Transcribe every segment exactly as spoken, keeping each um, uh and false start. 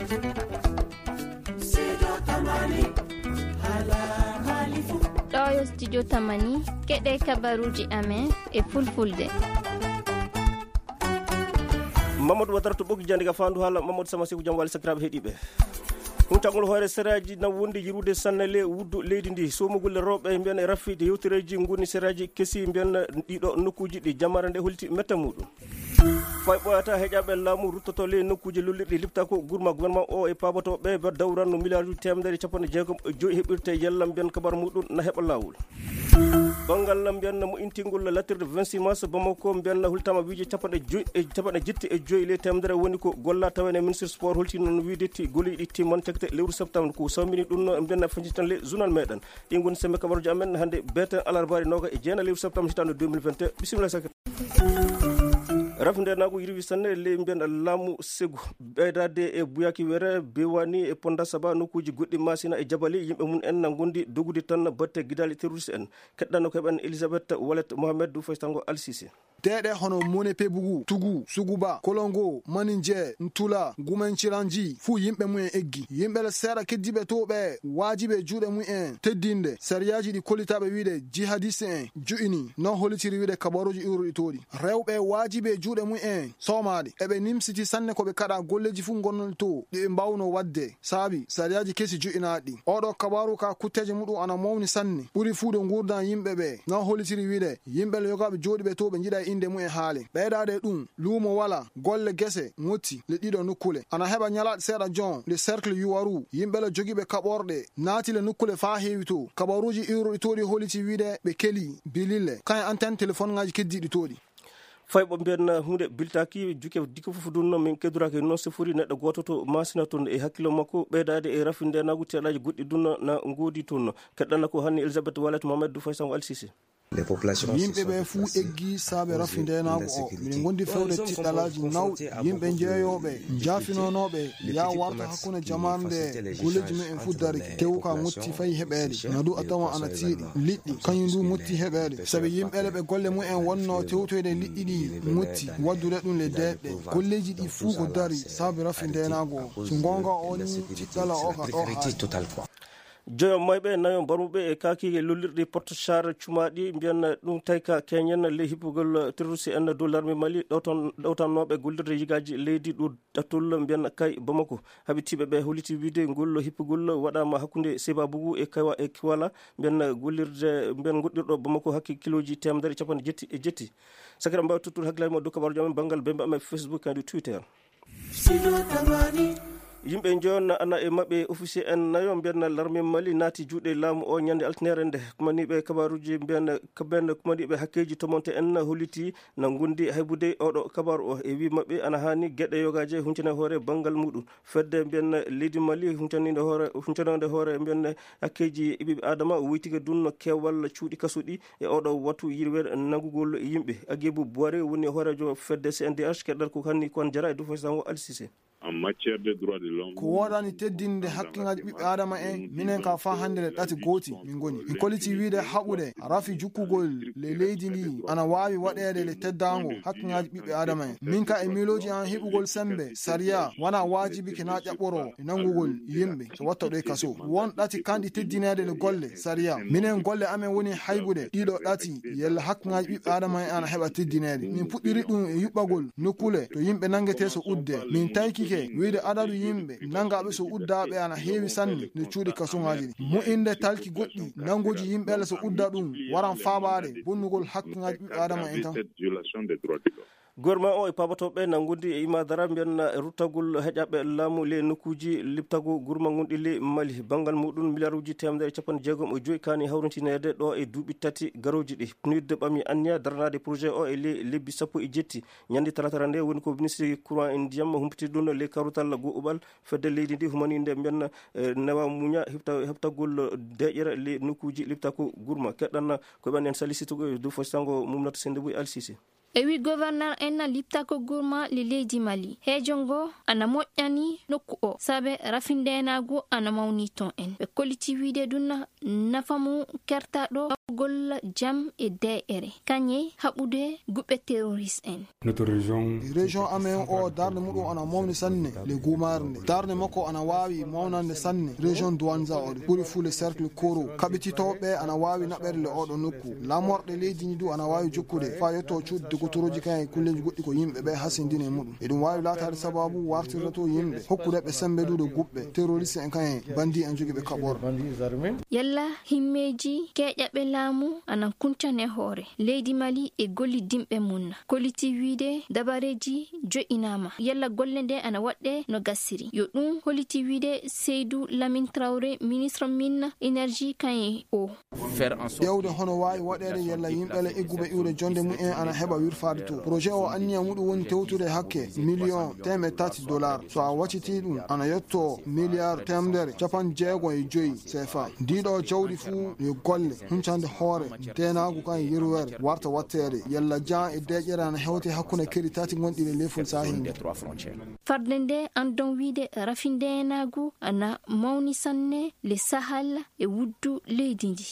Ɗo yo studio Tamani, keɗe kabaruji amen e fulfulde. Mamadou Wadara to Ɓoki Jandi ka fandu hala Mamadou Sama Seku, jam wali sakiraɓe heɗiɓe. Huntagol hoore seraji na wondi yirude sanne le wuddu leydi ndi. Somugol rewɓe mbiyen e rafide yewtereji ngoni seraji kesi mbiyen ɗiɗo nokkuji ɗi jamare nde holti metta muɗum. Fay ɓooyata heƴaɓe laamu ruttoto ley nokkuuji lollirɗi liptako gurma gouvernement o e paabotoɓe ba dawranno milliard uji temedere capanɗe jeegom e joyi heɓirte yalla mbiyen kabar muɗum na heɓa laawol. Banngal mbiyen mo intingol latirde vingt-six mars Bamako mbiyen hultama wiije capanɗe joyi e capanɗe jetti e joyi ley temedere woni ko golla tawene ministre sport holti noon wiide ti goliɗi timman cagte lewru septembre ko sawmini ɗum no mbiyen fañi tan ley journal meɗen. Ɗin ngoni sembe kabaruji amen hannde beten alarbaari noga e jeena lewru septembre hitande deux mille vingt et un. Bisimilla. Rafi ndenagu yirwi sanne ley mbiyen laamu segu ɓeydade e buyaki were bewani e ponda saba nokkuji goɗɗi masina e jabali yimɓe mum en na gondi dogude tan batte gidali terroriste en. Keɗɗano ko heɓen Elisabeth Walet Mohamed du faytango alsise. Teeɗe hono Mone Pebugu, Tugu, Suguba, Kolongo, Maninje, Ntula, Gumen Ciranji, fuu yimɓe mum en eggi. Yimɓe le seeɗa keddiɓe to ɓe waajibe juuɗe mum en teddinde sariyaaji ɗi kollitaaɓe wiide jihadiste en ju'ini, no hollitiri wiide kabaruuji iwruɗi to ɗi. Rewɓe waajibe juuɗe mum en soomaade. Eɓe nimsiti sanne ko ɓe kaɗa golleeji fuu ngonnoɗi to, ɗi ɓe mbaawno waɗde. Saabi sariyaaji kesi ju'inaaɗi. Oɗo kabaaru ka kutteeje muɗum ana mawni sanne. Ɓuri fuu ɗo nguurdan yimɓe ɓe. No hollitiri wiide, yimɓe le yogaaɓe jooɗiiɓe to ɓe njiɗa innde mum e haale. Ɓeydaade ɗum, luumo wala, golle gese, ŋotti, le ɗiɗo nukkule. Ana heɓa ñalaaɗe seeɗa jon, le cercle Yuwaru, yimɓe le jogiiɓe kaɓorɗe, naati le nukkule faa heewi to. Kabaruuji iwruɗi to ɗi holliti wiide ɓe keli bilille. Kañum antenne téléphone ŋaaji keddiiɗi to ɗi. Fay ɓo mbiyen huunde biltaaki juke dikka fof ɗum noon min keddoraki noon sifori neɗɗo gooto to Masina toon e hakkillo makko ɓeydaade e rafi ndenagu teɗaji goɗɗi ɗum na ngoodi toon. Keɗɗana ko hanni Elisabeth Walet Mohamed du Faysango Alsise. Yimɓe ɓe fuu eggi saabe rafi ndenagu o. Miɗen ngondi fewde tiɗɗalaaji nawɗi. Yimɓe jeeyooɓe, njaafinonooɓe, yaa warta hakkunde jamaare nde golleeji mumen fuu darike. Tewu ka ŋotti fay heɓeede. Na du a tawa ana tiiɗi. Liɗɗi, kañum du motti heɓeede. Sabi yimɓe le ɓe golle mumen wonnoo tewtoyde liɗɗi ɗi motti, waddude ɗum le deeƴɗe. Golleeji ɗi fuu ko dari saabe rafi ndenagu o. So ngoonga o ni, tiɗɗala o ka ɗo haali. Joyo mayɓe, nayo mbarmuɓe e kaaki e lollirɗi Porto Char cumaaɗi, mbiyan ɗum tawi ka keñen ley hippugol terroriste en dow larme Mali, ɗowtan-, ɗowtannooɓe gollirde yigaaji leydi ɗo ɗattol mbiyan kay Bamako. Habitiiɓe ɓe holliti wiide ngol hippugol waɗaama hakkunde Sebabugu e Kawa-, e Kiwala, mbiyan gollirde, mbiyan goɗɗirɗo Bamako hakke kilooji teemedere e capanɗe jetti e jetti. Sakira mbawi tottude hakkillaaji mo dow kabaaruji amen banngal bembe amen Facebook e Twitter. Yimɓe njoyon ana e maɓɓe officier en nayo mbiyan larme Mali naati juuɗe laamu o ñande altinere nde. Kumaniiɓe kabaaruji mbiyan, mbiyan kumaniiɓe hakkeeji tomonte en holliti na ngondi haybude oɗo kabaaru o e wi maɓɓe ana haani geɗe yogaaje huncane hoore banngal muɗum. Fedde mbiyan leydi Mali huncaninde hoore, huncanande hoore mbiyan hakkeeji ɓiɓɓe Adama woytike ɗum no keewal cuuɗi kasuɗi e oɗo wattu yirwere nanngugol yimɓe. Agibu Buware woni hooreejo fedde C N D H, keɗɗal ko hanni kon jara e Dufo Sango Alsise. En matière de droits de l'homme, ko woodani teddinde hakkeŋaaji ɓiɓɓe Adama en, minen ka faa hannde le ɗati gooti min ngoni. Min kolliti wiide haɓude rafi jukkugol le leydi ndi ana waawi waɗeede le teddaango hakkeŋaaji ɓiɓɓe Adama en. Min ka e miilooji an heɓugol sembe sariya wana waajibi ke na ƴaɓɓoro e nanngugol yimɓe so watta ɗo e kaso. Won ɗati kanɗi teddineede le golle sariya. Minen golle amen woni haybude ɗiɗo ɗati yella hakkeŋaaji ɓiɓɓe Adama en ana heɓa teddineede. Min puɗɗiri ɗum e yuɓɓagol nokkule to yimɓe nanngetee so udde. Min taykike wiide adadu yimɓe nanngaaɓe so uddaaɓe ana heewi sanne nder cuuɗi kasuŋaaji ɗi. Mo'inde talki goɗɗi nannguuji yimɓe le so udda ɗum waran faabaade bonnugol hakkeŋaaji ɓiɓɓe Adama en tan. Gouvernement o e paabatooɓe na ngondi e imadara mbiyan ruttagol heƴaɓe laamu le nokkuuji liptago gurma gonɗi le Mali. Banngal muɗum milliard uji teemedere e capanɗe jeegom e joyi kaani hawrintineede ɗo e duuɓi tati garooji ɗi. PNUD ɓami anniya daranaade projet o e le lebbi sappo e jetti. Ñande talatara nde woni ko ministre courant e ndiyam humpiti ɗum le karutal go'uɓal fedde leydi ndi humaninde mbiyan, eh, newa muña heɓta-, heɓtagol deƴƴere le nokkuuji liptako gurma. Keɗɗan ko ɓen en salisitugo e dow fo sango mumnata sende buy alsise. E wi gouverneur en liptako gurma le leydi Mali. Heejo ngo ana moƴƴani nokku o, sabe rafindeenaagu ana mawni ton en. Ɓe kolliti wiide ɗum nafa mum kertaɗo golla jam e de'ere, kañe haɓude guɓɓe terroriste en. Notre région, région amen o, darnde muɗum ana mawni sanne le gumaare nde. Darnde makko ana waawi mawnande sanne région Douanza o, ɓuri fuu le cercle Koro. Kaɓititooɓe ana waawi naɓere le oɗo nokku. Lamorɗe leydi ndi du ana waawi jokkude faa yetto cuuɗi dogotorooji kan e kulleeji goɗɗi ko yimɓe ɓe hasindini e muɗum. Eɗum waawi laataade sababu wartirta to yimɓe, hokkude ɓe sembe duuɗe guɓɓe, terroriste en kan e bandi en jogi ɓe kaɓor. Yalla himmeeji keeƴaɓe laamu ana kuncane hoore leydi Mali e gollidinɓe mum. Kolliti wiide dabareeji jo'inaama. Yalla golle nde ana waɗɗe no gasiri. Yo ɗum holliti wiide Seydou Lamine Traoré, ministre min énergie kan e o. Ƴeewde hono waawi waɗeede yalla yimɓe le egguɓe iwde jonde mum en ana heɓa wirfaade to. Projet o anniya muɗum woni tewtude hakke million teemeɗɗe tati dollar. So a waccitii ɗum, ana yetto milliard teemedere capanɗe jeego e joy C F A. Ndiiɗo jawdi fuu yo golle huncande hoore deenaagu kan e yerwere warta watteede. Yalla jaan e deeƴere ana hewte hakkunde keri tati gonɗi le lefol sahel nde. Farde nde andon wiide rafindeenaagu ana mawni sanne le Sahel e wuddu leydi ndi.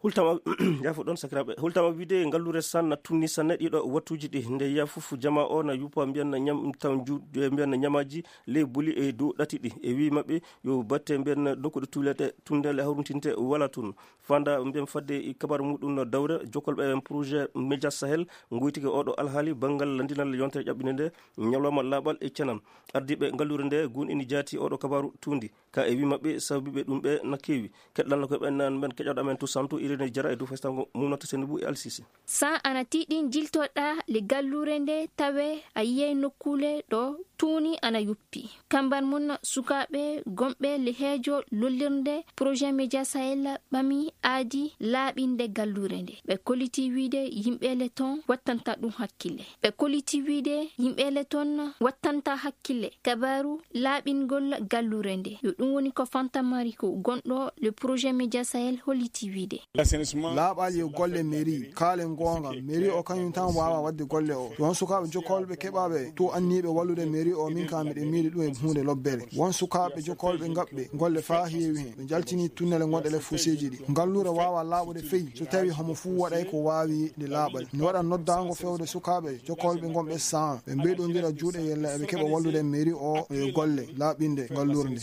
Hultama, jafo ɗon sakiraaɓe. Hultama wiide ngallure sanna tunni sanne ɗiɗo wattuji ɗi. Nde yiya fof jama o na yuppa mbiyan ñam taw ju-, mbiyan ñamaji ley buli e dow ɗati ɗi. E wi maɓɓe yo batte mbiyan nokkuɗe tulete tundele hawruntinte wala tun. Fanda mbiyan fadde e kabar muɗum no dawre jokkolɓe en projet Média Sahel ngoytike oɗo alhaali banngal landinal yontere ƴaɓɓinde nde ñalawma laaɓal e cenam. Ardiiɓe ngallure nde gun ini jaati oɗo kabaru tuundi. Ka e wi maɓɓe sababiiɓe ɗum ɓe na keewi. Keɗɗanno ko ɓen nan ɓen keƴoɗo amen to santu Irene Jara e dow festango mum nata seni bu e alsisi. San ana tiiɗi jiltoɗa le gallure nde tawe a yiyay nokkuule ɗo tuuni ana yuppi. Kambar mun sukaaɓe gomɓe le heejo lollirnde projet Média Sahel ɓami aadi laaɓinde gallure nde. Ɓe koliti wiide yimɓe le ton wattanta ɗum hakkille. Ɓe koliti wiide yimɓe le ton wattanta hakkille. Kabaru laaɓingol gallure nde. Yo ɗum woni ko Fanta Mariko, gonɗo le projet Média Sahel, holliti wiide. Laaɓal yo golle mairie, kaalen goonga, mairie o kañum tan waawa waɗde golle o. Won sukaaɓe jokkolɓe keɓaaɓe to anniiɓe wallude mairie o, min kam miɗen miili ɗum e huunde lobbere. Won sukaaɓe jokkolɓe ngaɓɓe golle faa heewi hen. Ɓe njaltini tunnele gonɗe le fuseeji ɗi. Ngallure waawa laaɓude fey so tawi homo fuu waɗay ko waawi nde laaɓal. Ne waɗa noddaango fewde sukaaɓe jokkolɓe gonɓe san ɓe mbeyɗondira juuɗe yella eɓe keɓa wallude mairie o e golle laaɓinde ngallure nde.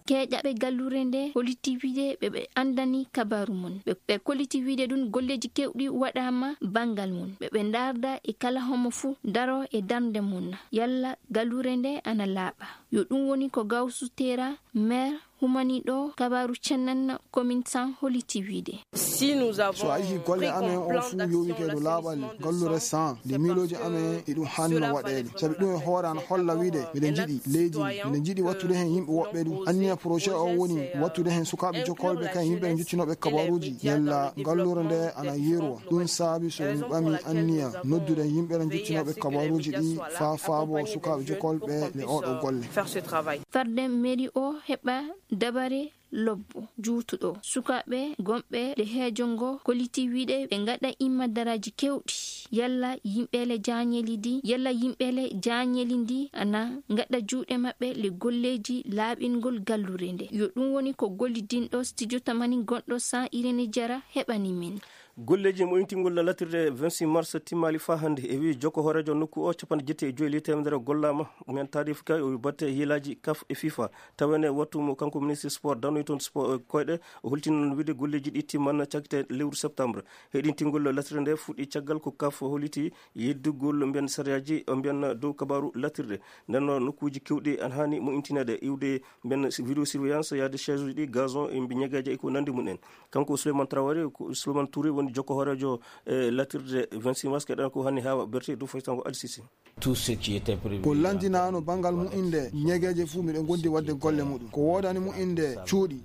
Keeƴaɓe gallure nde koliti wiide ɓe ɓe andani kabaru mun. Ɓe, ɓe koliti wiide ɗum golleeji kewɗi waɗaama banngal mun. Ɓe ɓe ndaarda e kala homo fuu daro e darnde mun. Yalla gallure nde ana laaɓa. Yo ɗum woni ko Gawsu Tera, maire humaniɗo kabaru cennen commune san holliti wiide. Si nous avons So a yihi golle pris amen on fuu yowike e dow laaɓal gallure san, nde miilooji amen e ɗum hanno waɗeede. Sabi ɗum e hoore ana holla wiide miɗen njiɗi leydi ndi, miɗen njiɗi wattude hen yimɓe woɓɓe ɗum. Anniya projet o woni wattude hen sukaaɓe jokkolɓe kan yimɓe ɓe njottinooɓe kabaruuji yalla gallure nde ana yerwa. Ɗum saabi so mi ɓami anniya noddude yimɓe ɓe njottinooɓe kabaruuji ɗi faa faabo sukaaɓe jokkolɓe le oɗo golle. Faire ce travail. Farde mairie o heɓa dabare lobbo juutuɗo sukaaɓe gomɓe le heejo ngo koliti wiide ɓe ngaɗa imma daraaji kewɗi. Yalla yimɓe le jaañeli ndi, yalla yimɓe le jaañeli ndi ana ngaɗa juuɗe maɓɓe le golleeji laaɓingol gallure nde. Yo ɗum woni ko gollidinɗo studio tamani gonɗo san Irene Jara heɓani min. Golleeji moyintingol latirde vingt-six mars timmaali faa hannde. E wii jokko hooreejo nokku o, capanɗe jeeɗiɗi e joy le teemedere gollaama. Men taarif kay o batte hiilaaji kaf e fifa. Tawene wattu mo kanko ministre sport, danoy toon sport, eh, koyɗe. O holtini noon wiide golleeji ɗi timman cagte lewru septembre. Heɗintingol latirde nde fuɗɗi caggal ko kaf holliti yeddugol mbiyan sariyaaji, mbiyan dow kabaaru latirde. Nden noon nokkuuji kewɗi ana haani moyintineede, iwde mbiyan vidéo surveillance, yaade chaise uji ɗi, gazon, e mbi ñegeeje e ko nanndi mum en. Kanko Souleymane Traoré, ko Souleymane Touré woni jokko hooreejo, eh, latirde vingt-six mars, keɗen ko hanni haawa berte dow faytango Al Sisi. Tout ce qui était prévu. Ko lanndinaano banngal mu'inde, ñegeeje fuu miɗo ngondi waɗde golle muɗum. Ko woodani mu'inde,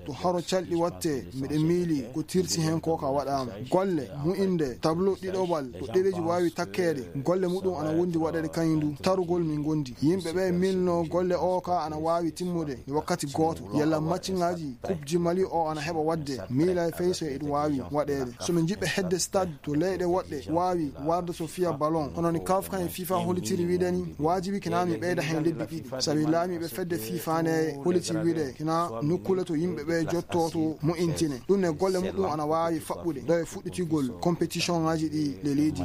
To haro calɗi watte, miɗen miili ko tirsi heen ko ka waɗaama. Golle mu'inde tableau ɗiɗoɓal to ɗereeji waawi takkeede, golle muɗum ana wondi waɗeede kañum ndu tarugol min gondi. Yimɓe ɓe miilno golle o ka ana waawi timmude e wakkati gooto. Yalla matchingaaji Coupe du Mali o ana heɓa waɗde, miila e fey so eɗum waawi waɗeede. So min njiɗɓe hedde stade to leyɗe woɗɗe waawi warde so fiya ballon, hono ni kaf kan e fifa hollitiri wiɗe ni, waajibi kina mi ɓeyda heen lebbi ɗiɗi. Sabi laamiiɓe fedde fifa ne holliti wiɗe kina nokkule to yimɓe ɓe jotto to mo intine. Ɗum ne golle muɗum ana waawi faɓɓude ɗo e fuɗɗitigol compétition ngaji ɗi le leydi.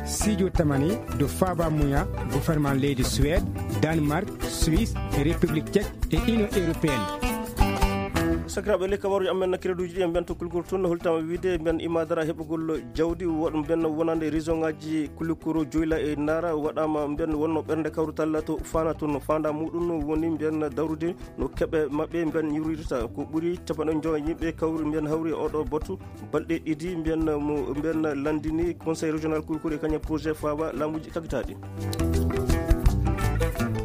Sijo tamani do faba muya gouvernement leydi Suède, Danemark, Suisse, République Tchèque et Union Européenne. Sakiraaɓe, le kabaruji amen na kireduji ɗi en mbento kulkuru tun no holtama wiide mben imadara heɓugol jawdi woɗ mben wonande région ngaji kulukuru joyla e nara waɗama mben wonno ɓernde kawrutal to fana tun fanda muɗum woni mben dawrude no keɓe maɓɓe mben yurirta ko ɓuri capanɗe joy yimɓe kawri mben hawri e oɗo botu balɗe ɗiɗi mbiyan mo mbiyan landini conseil régional kulkure kañum projet fawa laamuji kagitaɗi.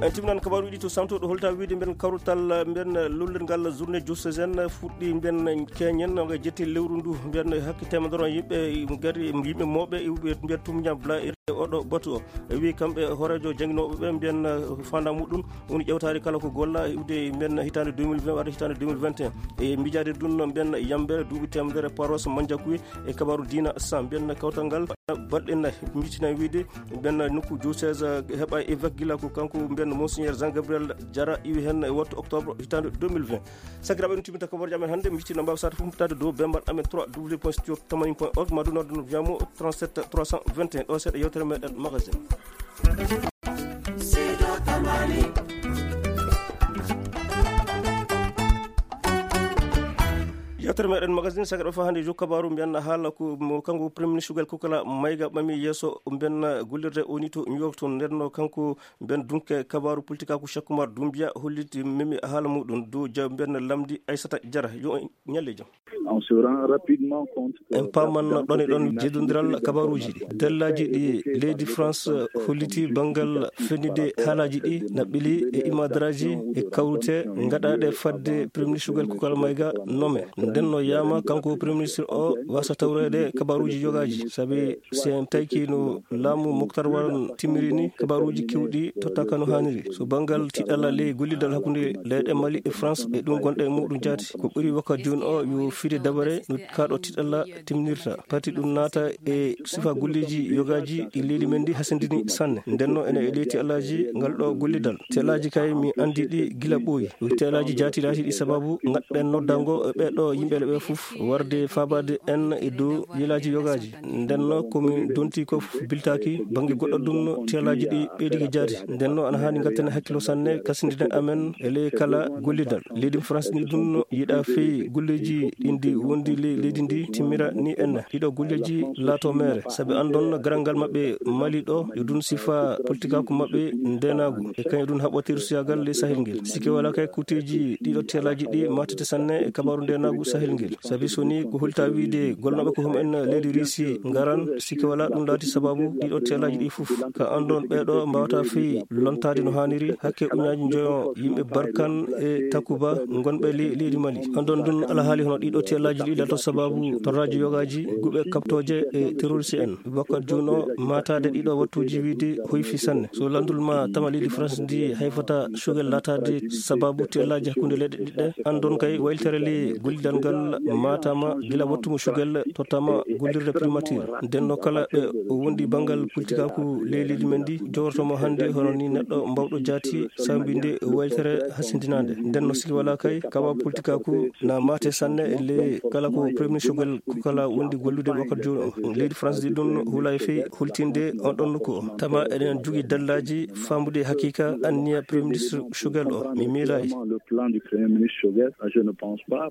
En timnan kabaruji to santo ɗo holta wiide mbiyan kawrutal mbiyan lollirgal journée diocésaine fuɗɗi mbiyan keñen nga jetti lewru ndu mbiyan hakke temedoro yimɓe gari yimɓe moɓe iwɓe mbiyan tumña bla e oɗo batu o wi kamɓe hoorejo janginoɓe ɓe mbiyan fanda muɗum woni ƴewtaade kala ko golla iwde mbiyan hitaande deux mille vingt walla hitaande deux mille vingt et un e miijaade ɗum no mbiyan yambere duuɓi temedere paros manjakuye e kabaru diina sa mbiyan kawtal ngal balɗe nayi mitina wiide mbiyan nokku diocèse heɓa évêque gila ko kanko mbiyan monseigneur Jean Gabriel Diarra iwi heen e wattu octobre hitaande deux mille vingt. Sakiraaɓe, ɗum timmita kabaruji amen hannde, miccino mbaw sata fof mbaɗtaade dow bembar amen trois w point studio tamani point org ma ɗum nodde no wiyamo trente-sept trois cent vingt et un ɗo seeɗa yewtere meɗen magasin. Yewtere meɗen magasin sakiraaɓe, fa hannde jo kabaru mbiyan haala ko mo kanko premier ministre Choguel Kokala Maïga ɓami yeeso mbiyan gullirde o ni to New York to ndenno kanko mbiyan dunke kabaru politika ko Cheikh Oumar Doumbia holliti memi haala muɗum dow ja mbiyan lamdi Aissata Diarra yo ñalle jam. On se rend rapidement compte que en paaman ɗon e ɗon jeddondiral kabaruuji ɗi dallaji ɗi leydi France holliti banngal fennude haalaaji ɗi naɓɓili e imadaraji e kawrute ngaɗaaɗe fadde premier ministre Choguel Kokala Maïga nome. Nden no yama kanko premier ministre o wasa tawreede kabaruuji yogaaji sabi si en tayki no laamu Moctar Ouane timmiri ni kabaruuji kewɗi tottaka no haaniri. So banngal tiɗalla ley gollidal hakkunde leyɗe Mali e France e ɗum gonɗe e muɗum jaati ko ɓuri wakkat jooni o yo fiide dabare no kaɗo tiɗalla timnirta pati ɗum naata e sifa golleji yogaaji ɗi leydi men ndi hasindini sanne. Ndenno ene e ley tiɗallaji ngal ɗo gollidal tiɗallaji kay mi andi ɗi gila ɓooyi. Tiɗallaji jaati laati ɗi sababu ngaɗɗen noddango e ɓeɗo yimɓe ɓe fof warde fabade en e dow yelaaji yogaaji. Ndenno komi donti ko biltaaki bannge goɗɗo ɗum no tiyalaaji ɗi ɓeydigi jaati. Ndenno ana haani ngatten hakkilo sanne kasindine amen e ley kala gollidal. Leydi France ni ɗum no yiɗa fey golleji ɗin ndi wondi ley leydi ndi timmira ni en ɗiɗo golleji laato meere sabi andon garangal maɓɓe Mali ɗo yo ɗum sifa politikaaku maɓɓe ndenaagu e kañum ɗum haɓɓotir suyagal ley Sahel ngel. Sikke wala kay kuteji ɗiɗo tiyalaaji ɗi matete sanne e kabaru ndenaagu Sahel ngel. Sabi so ni ko holta wiide golnoɓe ko hum en leydi Risi ngaran sikke wala ɗum laati sababu ɗiɗo tiyalaaji ɗi fof ka andon ɓeɗo mbawata fii lontade no haniri hakke uñaji njoyo yimɓe Barkan e Takuba gonɓe le- leydi Mali. Andon ɗum alhaali hono ɗiɗo tiyalaaji ɗi lato sababu torraji yogaji guɓe kaptoje e terroriste en. Wakkat jooni o matade ɗiɗo wattuji wiide hoyfi sanne so landul ma tama leydi France ndi hayfata Choguel latade sababu tiyalaaji hakkunde leyɗe ɗiɗɗe. Andon kay waylitere le gollidal ngal matama gila wattu mo Choguel tottama gollirde primature. Ndenno kala ɓe o wondi banngal politikaaku ley leydi men ndi jowrotomo hannde hono ni neɗɗo mbawɗo jaati sambinde waylitere hasindinande. Ndenno siki wala kay kaba politikaaku na mate sanne le kala ko premier Choguel ko kala wondi gollude wakkat jooni o leydi France di ɗum hula e fey holtinde on ɗon nokku o. Tama eɗen jogi dallaji fambude hakika anniya premier ministre Choguel o mi miilayi. Le plan du premier ministre Choguel, je ne pense pas.